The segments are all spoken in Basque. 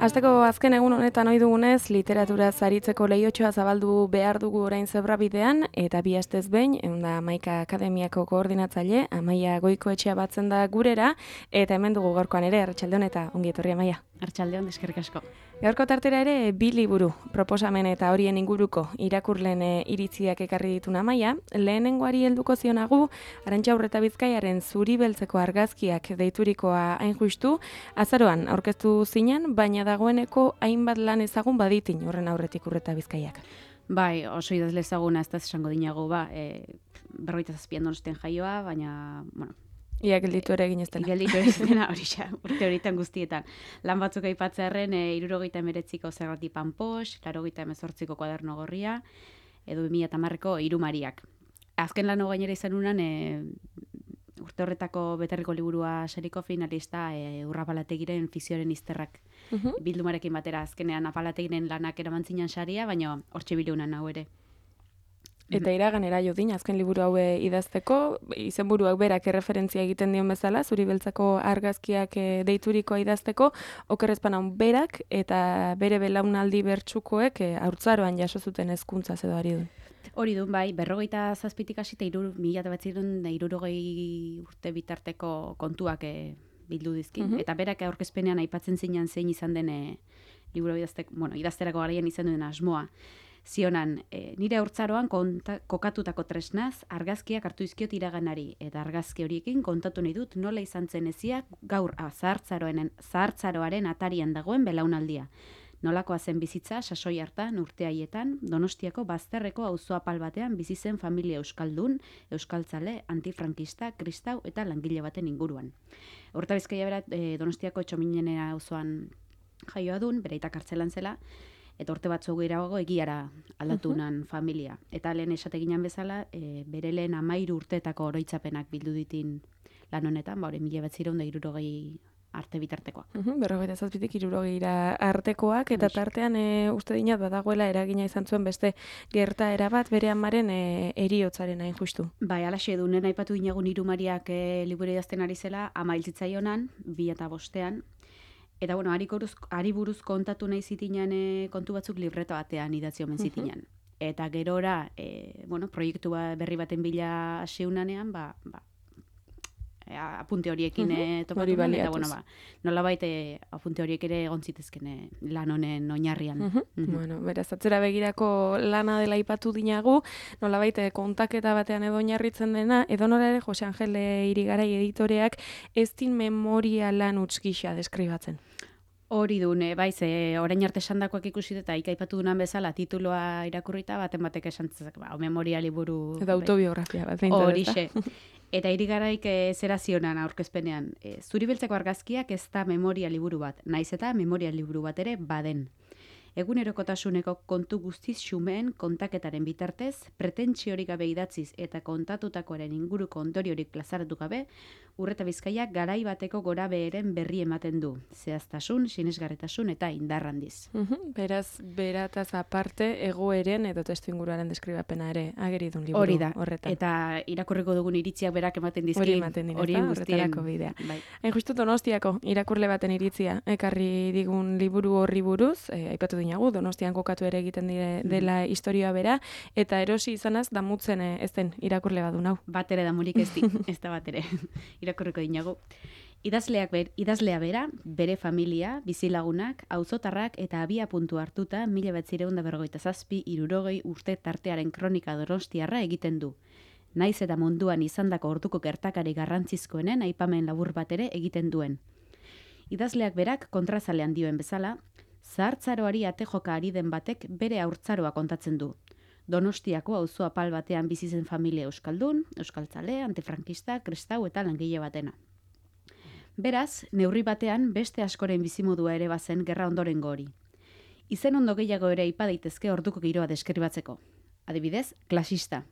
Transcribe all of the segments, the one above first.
Asteko azken egun honetan ohi dugunez, literatura zaritzeko lehiotxoa zabaldu behar dugu orain zebrabidean, eta bi astez behin, Hamaika Akademiako koordinatzaile, Amaia Goikoetxea batzen da gurera, eta hemen dugu gaurkoan ere, Arratsaldeon eta ongi etorri Amaia. Arratsaldeon, eskerrik asko. Gaurko tartera ere, bi liburu, proposamen eta horien inguruko irakurleen iritziak ekarri ditun Amaia, lehenengoari helduko zionagu, Arantxa Urreta Bizkaiaren Zuri beltzeko argazkiak deiturikoa hain justu, azaroan aurkeztu zinen, baina dagoeneko hainbat lan ezagun baditin horren aurretik Urreta Bizkaiak. Bai, oso idazle ezaguna ez da esango dinago, 47 Donostian jaioa, baina, bueno, Ia gelditu ere egin ez dela. Gelditu ere ez dela, urte horietan guztietan. Lan batzuk aipatzearren, 69ko Zerrati Panpox, 88ko Koaderno Gorria, edo 2010ko Hiru Mariak. Azken lano gainera izan unan, urte horretako beterriko liburua sariko finalista Urra Apalategiren Fikzioaren izterrak bildumarekin batera. Azkenean Apalategiren lanak eraman zinan saria, baina hortxe bilunan hau ere. Eta iraganera jodin, azken liburu hau idazteko, izenburuak berak erreferentzia egiten dion bezala, Zuri beltzako argazkiak deiturikoa idazteko, Oker Ezpanaun berak eta bere belaunaldi bertsukoek haurtzaroan jaso zuten hezkuntza edo ari du. Hori du, bai, 47tik hasi eta 1960 urte bitarteko kontuak bildu dizkin. Eta berak aurkezpenean aipatzen zinan zein izan den liburu idazterako garaian izan duen asmoa. Zionan, nire haurtzaroan kokatutako tresnaz, argazkiak hartu izkiot iraganari, eta argazki horiekin kontatu nahi dut nola izan zen eziak gaur zahartzaroaren atarian dagoen belaunaldia. Nolakoa zen bizitza, sasoi hartan, urte haietan, Donostiako bazterreko auzo apal batean bizi zen familia euskaldun, euskaltzale, antifrankista, kristau eta langile baten inguruan. Urreta Bizkaia bera Donostiako Txominenera auzoan jaioa dun, bere aita kartzelan zela, eta urte batzu gehiago egiara aldatunan familia. Eta lehen esateginan bezala, bere lehen 13 urteetako oroitzapenak bildu ditin lan honetan, 1960 arte bitartekoak. 47tik 60 artekoak, eta tartean uste dinat badagoela eragina izan zuen beste gertaera bat bere amaren heriotzaren hain justu. Bai, alaxe dunen aipatu dinagun Hiru Mariak liburu idazten ari zela, ama hil zitzaionan, 2005ean, eta bueno, hari buruz kontatu nahi zitinan kontu batzuk libreta batean idatzi omen zitinan. Eta gerora, proiektu berri baten bila hasiunanean, apunte horiekin topatu nuen, eta nolabait apunte horiek ere egon zitezken lan honen oinarrian. Beraz, atzera begirako lana dela aipatu dinagu, nolabait kontaketa batean edo oinarritzen dena, edo nola ere Jose Angel Irigarai editoreak ez din memoria lan huts gisa deskribatzen. Hori dune, orain arte esandakoak ikusi eta aipatu dunan bezala tituloa irakurrita baten batek esan zezak, memoria liburu... Edo autobiografia bat. Horixe. Eta Irigaraik zera zionan aurkezpenean, Zuri beltzeko argazkiak ez da memoria liburu bat, naiz eta memoria liburu bat ere baden. Egunerokotasuneko kontu guztiz xumeen kontaketaren bitartez, pretentsiorik gabe idatziz eta kontatutakoaren inguruko ondoriorik plazaratu gabe, Urreta Bizkaiak garai bateko gorabeheren berri ematen du. Zehaztasun, sinesgarritasun eta indarrandiz. Beraz, berataz aparte, egoeren edo testuinguruaren deskribapena ere ageri dun liburu hori da. Horretan. Eta irakurriko dugun iritziak berak ematen dizkin. Hori ematen dira, horretarako bidea. Hain justu Donostiako irakurle baten iritzia, ekarri digun liburu horri buruz, aipatu dinagu, Donostian kokatu ere egiten dela historia bera, eta erosi izanaz damutzen ez den irakurle badun hau. Bat ere damurik ez da bat ere. Irakurriko dinagu. Idazlea bera, bere familia, bizilagunak, auzotarrak eta abia puntu hartuta 1957-60 urte tartearen kronika donostiarra egiten du. Naiz eta munduan izandako orduko gertakari garrantzizkoenen aipamen labur bat ere egiten duen. Idazleak berak kontrazalean dioen bezala, zahartzaroari ate joka ari den batek bere haurtzaroa kontatzen du. Donostiako auzo apal batean bizi zen familia euskaldun, euskaltzale, antifrankista, kristau eta langile batena. Beraz, neurri batean beste askoren bizimodua ere bazen gerra ondorengo hori. Izen ondo gehiago ere aipa daitezke orduko giroa deskribatzeko. Adibidez, klasista.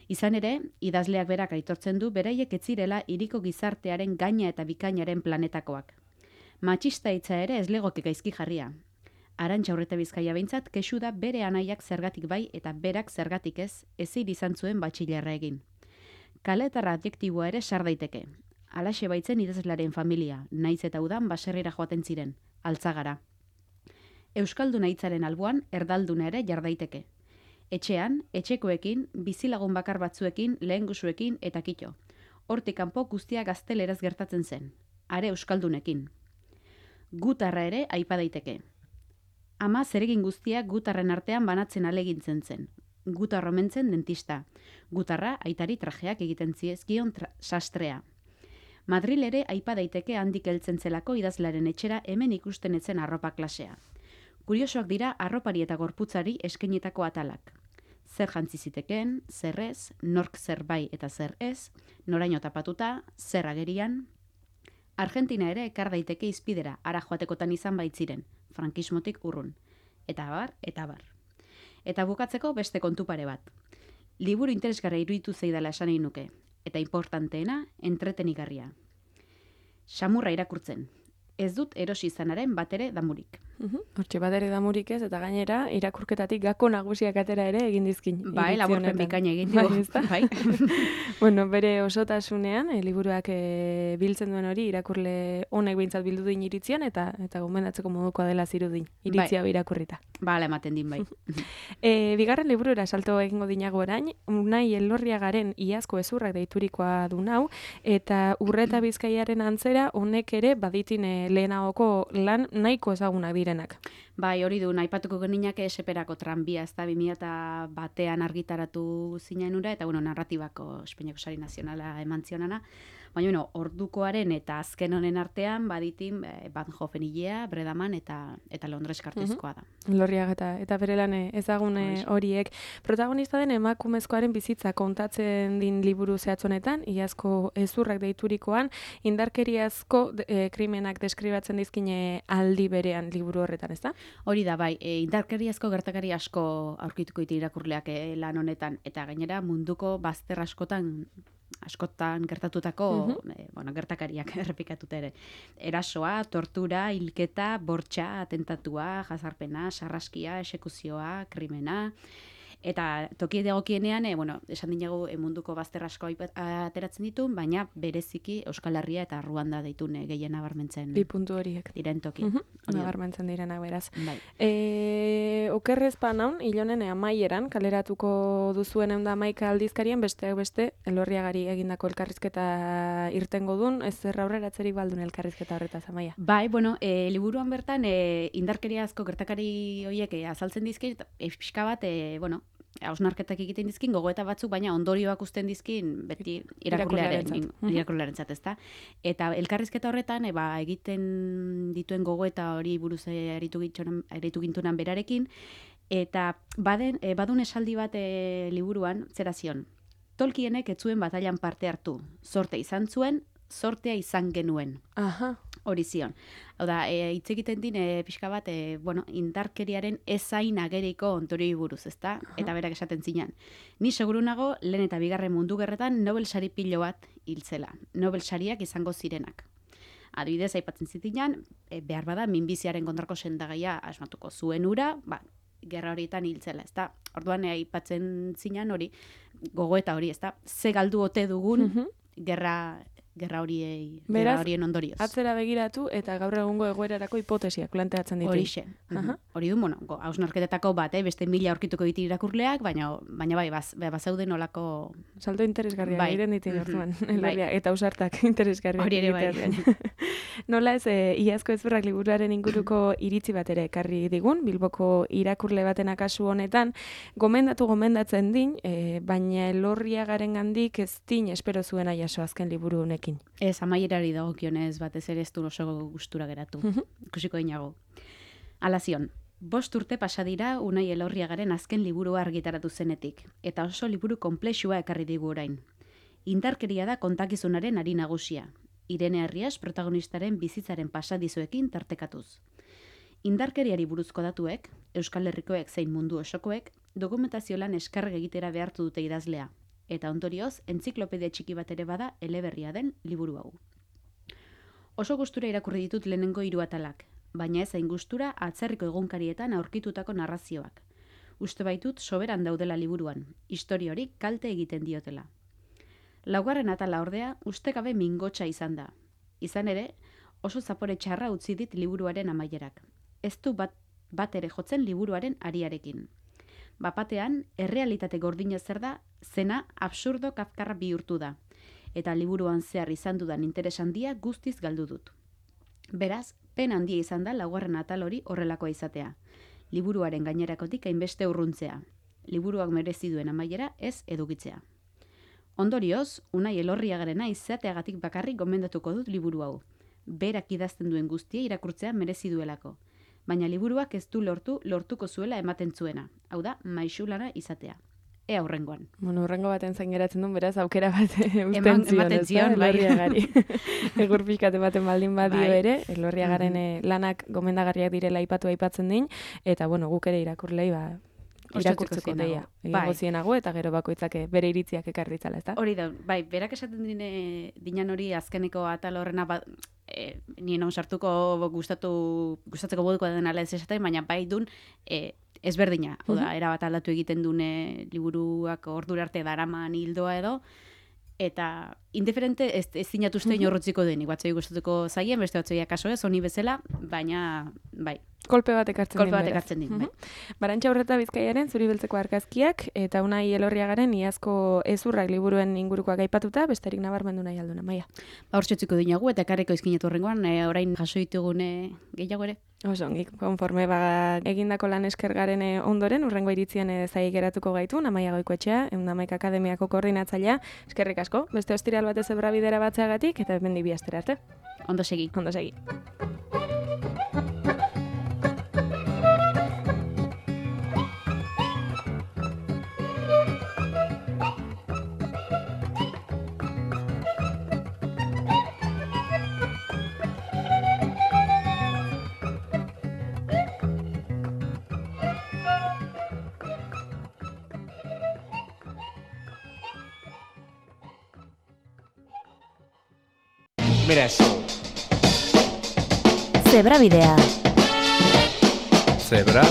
Izan ere, idazleak berak aitortzen du beraiek ez zirela hiriko gizartearen gaina eta bikainaren planetakoak. Matxista hitza ere ez legoke gaizki jarria. Arantxa Urretabizkaia behintzat kexu da bere anaiak zergatik bai eta berak zergatik ez, ezin izan zuen batxilerra egin. Kaletarra adjektiboa ere sar daiteke. Halaxe baitzen idazlearen familia, naiz eta udan baserrira joaten ziren, Altzagara. Euskalduna hitzaren alboan erdalduna ere jar daiteke. Etxean, etxekoekin, bizilagun bakar batzuekin, lehengusuekin eta kitxo. Hortik kanpo guztia gazteleraz gertatzen zen, are euskaldunekin. Gutarra ere aipa daiteke. Ama zeregin guztia gutarren artean banatzen alegintzen zen. Gutarra omentzen dentista. Gutarra aitari trajeak egiten ziezkion sastrea. Madril ere aipa daiteke handik heltzen zelako idazlaren etxera hemen ikusten etzen arropa klasea. Kuriosoak dira arropari eta gorputzari eskainitako atalak. Zer jantzi zitekeen, zer ez, nork zer bai eta zer ez, noraino tapatuta, zer agerian. Argentina ere ekar daiteke izpidera, ara joatekotan izan baitziren, frankismotik urrun. Eta abar, eta abar. Eta bukatzeko beste kontu pare bat. Liburu interesgarria iruditu zeidala esan egin nuke, eta importanteena, entretenigarria. Xamurra irakurtzen. Ez dut erosi izanaren batere damurik. Hortxe batere damurik ez, eta gainera irakurketatik gako nagusiak atera ere egin dizkin. Bai, laburpen bikaina egin dugu. Bai. Bueno, bere osotasunean, liburuak biltzen duen hori irakurle honek behintzat bildu din iritzian, eta gomendatzeko modukoa dela zirudin, iritzia irakurrita. Bala, ematen din bai. Bigarren liburura salto egingo dinago orain, Unai Elorriagaren iazko ezurrak deiturikoa du nau, eta Urretabizkaiaren antzera honek ere baditin lehenagoko lan nahiko ezagunak direnak. Bai, hori du, aipatuko geninak eseperako tranbia, ez da 2001 argitaratu zinen ura, eta narratibako Espainiako Sari Nazionala eman zionana. Baina, ordukoaren eta azken honen artean, baditin Van Hoffen hilea, Bredaman eta Londres kartuzkoa da. Elorriaga eta bere lan ezagun horiek. Protagonista den emakumezkoaren bizitza kontatzen din liburu zehatzonetan, iazko ezurrak deiturikoan, indarkeriazko krimenak deskribatzen dizkine aldi berean liburu horretan, ez da? Hori da, bai, indarkeriazko gertakari asko aurkituko ditu irakurleak lan honetan, eta gainera munduko bazter askotan gertatutako gertakariak errepikatuta ere. Erasoa, tortura, hilketa, bortxa, atentatua, jazarpena, sarraskia, esekuzioa, krimena. Eta toki dagokienean, esan dinagu munduko bazter asko ateratzen ditu, baina bereziki Euskal Herria eta Ruanda deitun gehien nabarmentzen. Bi puntu horiek. Diren toki. Nabarmentzen direnak beraz. Bai. Okerrezpa naun, hilonen amaieran, kaleratuko duzuen 111 aldizkarien, besteak beste, Elorriagari egindako elkarrizketa irtengo dun, ez zer aurreratzerik baldun elkarrizketa horretaz, Amaia? Bai, liburuan bertan, indarkeriazko gertakari horiek azaltzen dizkin, pixka bat, hausnarketak egiten dizkin, gogoeta batzuk, baina ondorioak usten dizkin beti irakurlearentzat, ezta? Eta elkarrizketa horretan, egiten dituen gogoeta hori buruz aritu gintunan berarekin, eta badun esaldi bat liburuan, zera zion, Tolkienek ez zuen batailan parte hartu, zorte izan zuen, zortea izan genuen. Aha. Hori zion. Hau da, hitz egiten din, pixka bat, indarkeriaren ezain ageriko ontorioi buruz, ezta? Eta berak esaten zinan. Ni seguru nago, lehen eta bigarren mundu gerretan Nobel sari pilo bat hiltzela. Nobel sariak izango zirenak. Adibidez, aipatzen zitinan, behar bada, minbiziaren kontrako sendagaia asmatuko zuen ura, gerra horietan hiltzela, ezta? Orduan, aipatzen zinan hori, gogoeta hori, ezta? Ze galdu ote dugun, gerra horien ondorioz. Atzera begiratu eta gaur egungo egoerarako hipotesiak planteatzen ditu. Horixe. Hori du, hausnarketetako bat, beste 1000 aurkituko ditu irakurleak, baina bai, bazauden olako... Salto interesgarria egiten ditu orduan, eta ausartak interesgarria. Hori ere bai. Nola ez, iazko ezurrak liburuaren inguruko iritzi bat ere ekarri digun, Bilboko irakurle baten akasu honetan, gomendatzen din, baina Elorriagaren gandik ez din espero zuena jaso azken liburu honekin. Ez, amaierari dagokionez batez ere ez du oso gustura geratu. Ikusiko dinago. Hala zion, 5 urte pasa dira Unai Elorriagaren azken liburua argitaratu zenetik, eta oso liburu konplexua ekarri digu orain. Indarkeria da kontakizunaren ari nagusia. Irene Arrias protagonistaren bizitzaren pasadizoekin tartekatuz. Indarkeriari buruzko datuek, Euskal Herrikoek zein mundu osokoek, dokumentazio lan eskarga egitera behartu dute idazlea. eta ondorioz entziklopedia txiki bat ere bada eleberria den liburu hau. Oso gustura irakurri ditut lehenengo 3 atalak, baina ez hain gustura atzerriko egunkarietan aurkitutako narrazioak. Uste baitut soberan daudela liburuan, historia hori kalte egiten diotela. 4. atala ordea ustekabe mingotsa izan da. Izan ere, oso zapore txarra utzi dit liburuaren amaierak. Ez du bat ere jotzen liburuaren ariarekin. Bapatean, errealitate gordina zer da, zena absurdo kafkarra bihurtu da, eta liburuan zehar izan dudan interes handia guztiz galdu dut. Beraz, pen handia izan da 4. atal hori horrelakoa izatea. Liburuaren gainerakotik hainbeste urruntzea. Liburuak merezi duen amaiera ez edukitzea. Ondorioz, Unai Elorriagarena izateagatik bakarrik gomendatuko dut liburu hau. Berak idazten duen guztia irakurtzea merezi duelako. Baina liburuak ez du lortuko zuela ematen zuena. Hau da, maixulana izatea. Ea hurrengoan. Bueno, hurrengo baten zain geratzen duen, beraz, aukera bat ematen zion, Elorriagari. Egur pixkate baten baldin badio ere, Elorriagaren lanak gomendagarriak direla aipatzen din, eta, bueno, guk ere irakurlei, irakurtzeko deia. Egingo zienago, eta gero bakoitzak bere iritziak ekar ditzala, ezta? Hori da, bai, berak esaten dinan hori azkeneko atal horrena, nien hon sartuko gustatzeko moduko den ala ez esaten, baina bai dun, ezberdina. Oda, erabat aldatu egiten dune liburuak ordura arte daraman hildoa edo, eta indiferente ez zinatuzte inorrotziko denik. Batzoi gustatuko zaien, beste batzoi akaso ez, honi bezala, baina bai. Kolpe bat ekartzen din. Bai. Barantxa Urreta Bizkaiaren Zuri beltzeko argazkiak, eta Unai Elorriagaren iazko ezurrak liburuen ingurukoak aipatuta, besterik nabarmendu nahi alduna, Maia. Hortxotziko dinagu, eta karriko izkinetu horrengoan, orain jaso ditugune gehiago ere. Oso, konforme egindako lan eskergaren ondoren, urrengo iritzien zai geratuko gaitu, Amaia Goikoetxea, Eundamaik Akademiako koordinatzailea, eskerrik asko, beste ostiral batez ebrabidera batzeagatik, eta bendi bi astera arte. Ondo segi. Beraz. Zebrabidea. Zebra